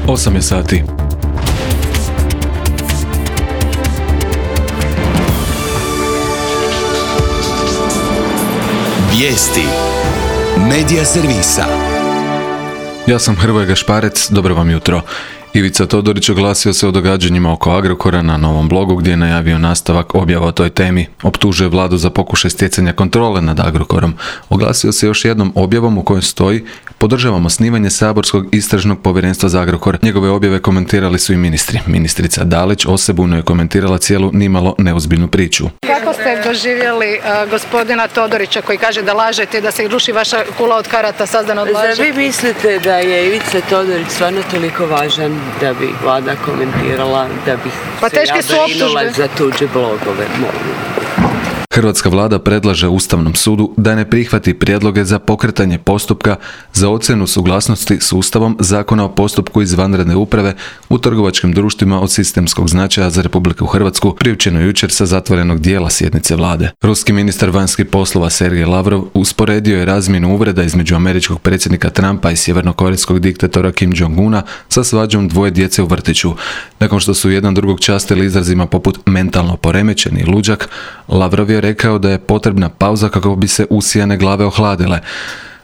8 je sati. Vijesti Medija servisa. Ja sam Hrvoje Gašparec, dobro vam jutro. Ivica Todorić oglasio se o događanjima oko Agrokora na novom blogu gdje je najavio nastavak objava o toj temi. Optužuje vladu za pokušaj stjecanja kontrole nad Agrokorom. Oglasio se još jednom objavom u kojoj stoji: podržavamo osnivanje saborskog istražnog povjerenstva za Agrokor. Njegove objave komentirali su i ministri. Ministrica Dalić osebujno je komentirala cijelu nimalo neozbiljnu priču. Kako ste doživjeli gospodina Todorića koji kaže da lažete i da se ruši vaša kula od karata sazdana od laži? Zar vi mislite da je Ivica Todorić stvarno toliko važan da bi vlada komentirala, da bi se ja brinula za tuđe blogove? Hrvatska vlada predlaže Ustavnom sudu da ne prihvati prijedloge za pokretanje postupka za ocjenu suglasnosti s Ustavom Zakona o postupku izvanredne uprave u trgovačkim društvima od sistemskog značaja za Republiku Hrvatsku, priopćeno jučer sa zatvorenog dijela sjednice vlade. Ruski ministar vanjskih poslova Sergej Lavrov usporedio je razmjenu uvreda između američkog predsjednika Trumpa i sjevernokorejskog diktatora Kim Jong-una sa svađom dvoje djece u vrtiću. Nakon što su jedan drugog častili izrazima poput mentalno poremećeni i luđak, Lavrov je rekao da je potrebna pauza kako bi se usijane glave ohladile.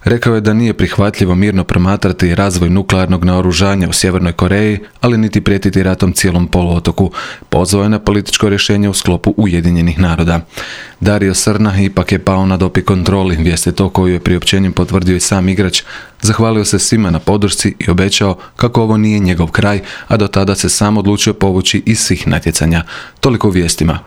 Rekao je da nije prihvatljivo mirno promatrati razvoj nuklearnog naoružanja u Sjevernoj Koreji, ali niti prijetiti ratom cijelom poluotoku. Pozvao je na političko rješenje u sklopu Ujedinjenih naroda. Dario Srna ipak je pao na dopi kontroli, vijest je to koju je priopćenjem potvrdio i sam igrač. Zahvalio se svima na podršci i obećao kako ovo nije njegov kraj, a do tada se sam odlučio povući iz svih natjecanja. Toliko u vijestima.